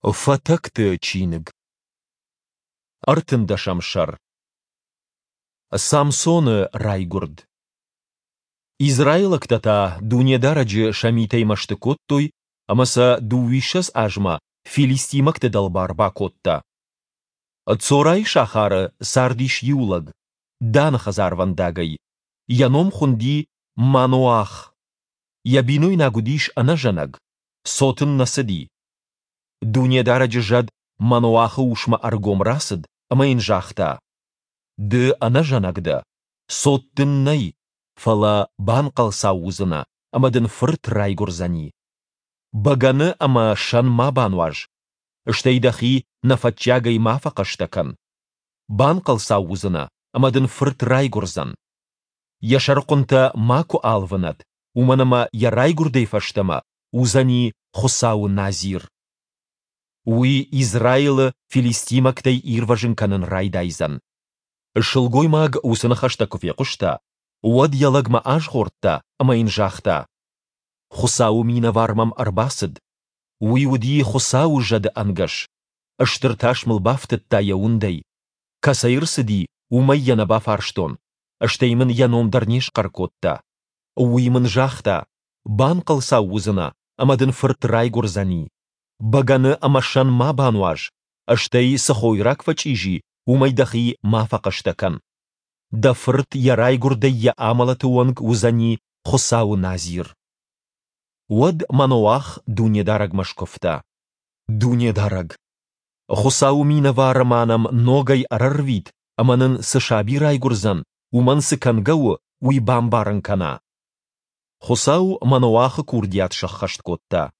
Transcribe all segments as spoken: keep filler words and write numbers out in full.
Фатӕгты чиныг. Ӕртындӕсӕм сӕр. Самсоны райгуырд. Израилӕгтӕ та Дунедарӕджы сӕ митӕй мӕсты кодтой ӕмӕ сӕ дыууиссӕдз азмӕ филистимӕгты дӕлбар бакодта. Цорайы сахары цардис иу лӕг, Даны хӕдзарвӕндагӕй. Йӕ ном хуынди Маноах. Йӕ бинойнаг уыдис ӕнӕзӕнӕг, цот ын нӕ цыди. Дунедарӕджы зӕд Маноахы усмӕ ӕргом рацыд ӕмӕ йын загъта: «Ды ӕнӕзӕнӕг дӕ, цот дын нӕй, фӕлӕ банхъӕлцау уыдзынӕ, ӕмӕ дын фырт райгуырдзӕни. Бӕгӕны ӕмӕ сӕн ма бануаз, стӕй дӕхи нӕфӕтчиагӕй ма фӕхъӕстӕ кӕн. Банхъӕлцау уыдзынӕ, ӕмӕ дын фырт райгуырдзӕн. Йӕ сӕрыхъуынтӕ макуы алвынӕд, уымӕн ӕмӕ йӕ райгуырдӕй фӕстӕмӕ уыдзӕни Хуыцауы назир. Уый Израилы филистимӕгтӕй ирвӕзын кӕнын райдайдзӕн. Сылгоймаг уыцы ныхӕстӕ куы фехъуыста, уӕд йӕ лӕгмӕ азгъордта ӕмӕ йын загъта: Хуыцауы минӕвар мӕм ӕрбацыд. Уый уыди Хуыцауы зӕды ӕнгӕс. Стыр тас мыл бафтыдта йӕ уындӕй. Кӕцӕй ӕрцыди, уымӕй йӕ нӕ бафарстон, стӕй мын йӕ ном дӕр не схъӕр кодта. Уый мын загъта: «Банхъӕлцау уыдзынӕ, ӕмӕ дын фырт райгуырдзӕни. Бӕгӕны ӕмӕ сӕн ма бануаз, стӕй цы хойраг фӕчъизи, уымӕй дӕхи ма фӕхъӕстӕ кӕн. Дӕ фырт йӕ райгуырдӕй йӕ амӕлӕты онг уыдзӕни Хуыцауы назир». Уӕд Маноах Дунедарӕгмӕ скуывта: «Дунедарӕг! Хуыцауы минӕвары ма нӕм ногӕй ӕрӕрвит ӕмӕ нын цы саби райгуырдзӕн, уымӕн цы кӕнгӕ у, уый бамбарын кӕна». Хуыцау Маноахы курдиат сӕххӕст кодта.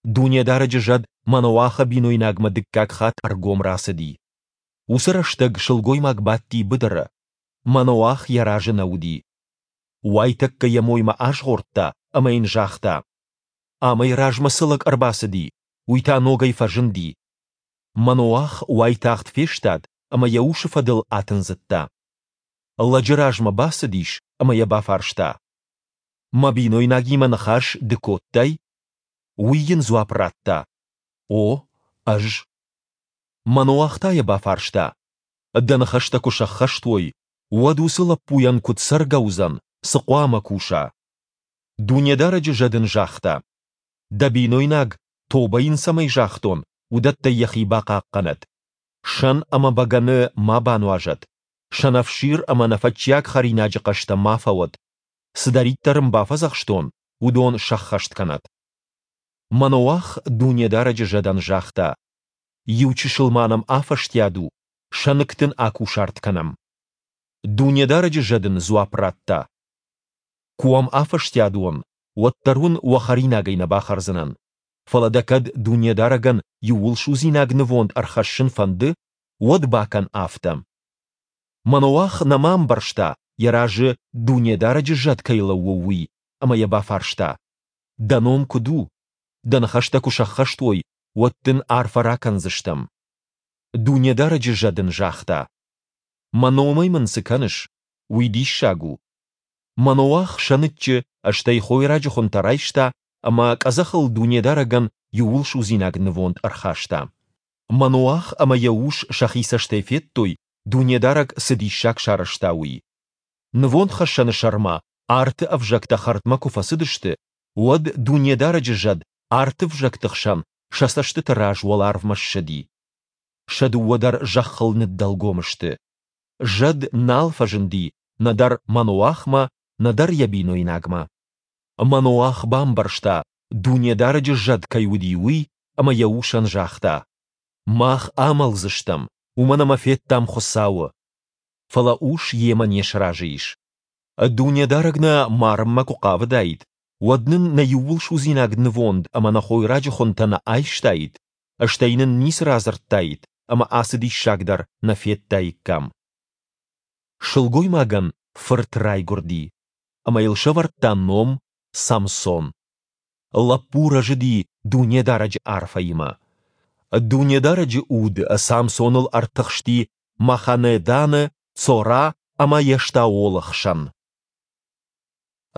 Дунедарӕджы зӕд Маноахы бинойнагмӕ дыккаг хатт ӕргом рацыди. Уыцы рӕстӕг сылгоймаг бадти быдыры. Маноах йӕ разы нӕ уыди. Уайтӕккӕ йӕ моймӕ азгъордта ӕмӕ йын загъта: «Амӕй размӕ цы лӕг ӕрбацыди, уый та ногӕй фӕзынди». Маноах уайтагъд фестад ӕмӕ йӕ усы фӕдыл атындзыдта. Лӕджы размӕ бацыдис ӕмӕ йӕ бафарста: «Мӕ бинойнагимӕ ныхас ды кодтай?» Уый йын дзуапп радта: «О, ӕз». Маноах та йӕ бафарста: «Дӕ ныхӕстӕ куы сӕххӕст уой, уӕд уыцы лӕппуйӕн куыд цӕргӕ уыдзӕн, цы хъуамӕ куса?» Дунедарӕджы зӕд ын загъта: «Дӕ бинойнаг, тобӕ йын цӕмӕй загътон, уыдӕттӕй йӕхи бахъахъхъӕнӕд. Сӕн ӕмӕ бӕгӕны ма бануазӕд, сӕнӕфсир ӕмӕ нӕфӕтчиаг хӕринаджы хъӕстӕ ма фӕуӕд. Цыдӕриддӕр ын бафӕдзӕхстон, уыдон сӕххӕст кӕнӕд». Маноах Дунедарӕджы зӕдӕн загъта: «Иу чысыл ма нӕм афӕстиат у, сӕныкк дын акусарт кӕнӕм». Дунедарӕджы зӕд ын дзуапп радта: «Куы уӕм афӕстиат уон, уӕддӕр уын уӕ хӕринагӕй нӕ бахӕрдзынӕн. Фӕлӕ дӕ кӕд Дунедарӕгӕн иууылсудзинаг нывонд ӕрхӕссын фӕнды, уӕд бакӕн афтӕ». Маноах нӕма ӕмбӕрста, йӕ разы Дунедарӕджы зӕд кӕй лӕууы, уый, ӕмӕ йӕ бафарста: «Дӕ ном куыд у? Дӕ ныхӕстӕ куы сӕххӕст уой, уӕд дын арфӕ ракӕндзыстӕм». Дунедарӕджы зӕд ын загъта: «Мӕ номӕй мын цы кӕныс? Уый диссаг у». Маноах сӕныччы, стӕй хойраджы хуынтӕ райста ӕмӕ къӕдзӕхыл Дунедарӕгӕн иууылсудзинаг нывонд ӕрхаста. Маноах ӕмӕ йӕ ус сӕхи цӕстӕй федтой, Дунедарӕг цы диссаг сарӕзта, уый. Нывондхӕссӕны сӕрмӕ арты ӕвзӕгтӕ хӕрдмӕ куы фӕцыдысты, уӕд Дунедарӕджы зӕд арты ӕвзӕгты хсӕн сӕ цӕстыты раз уӕларвмӕ ссыди. Сӕ дыууӕ дӕр зӕххыл ныддӕлгом сты. Зӕд нал фӕзынди нӕдӕр Маноахмӕ, нӕдӕр йӕ бинойнагмӕ. Маноах бамбӕрста, Дунедарӕджы зӕд кӕй уыди, уый, ӕмӕ йӕ усӕн загъта: «Мах амӕлдзыстӕм, уымӕн ӕмӕ федтам Хуыцауы». Фӕлӕ ус йемӕ не сразы ис. Дунедарӕг нӕ марынмӕ куы хъавыдаид, уӕд нын нӕ иууылсудзинаг нывонд ӕмӕ нӕ хойраджы хуынтӕ нӕ айстаид, стӕй нын ницы радзырдтаид ӕмӕ ацы диссаг дӕр нӕ федтаиккам. Сылгоймагӕн фырт райгуырди, ӕмӕ йыл сӕвӕрдта ном Самсон. Лӕппу рӕзыди Дунедарӕджы арфӕимӕ. Дунедарӕджы уд Самсоныл ӕртыхсти Маханэ-Даны, Цора ӕмӕ Ештаолы хсӕн.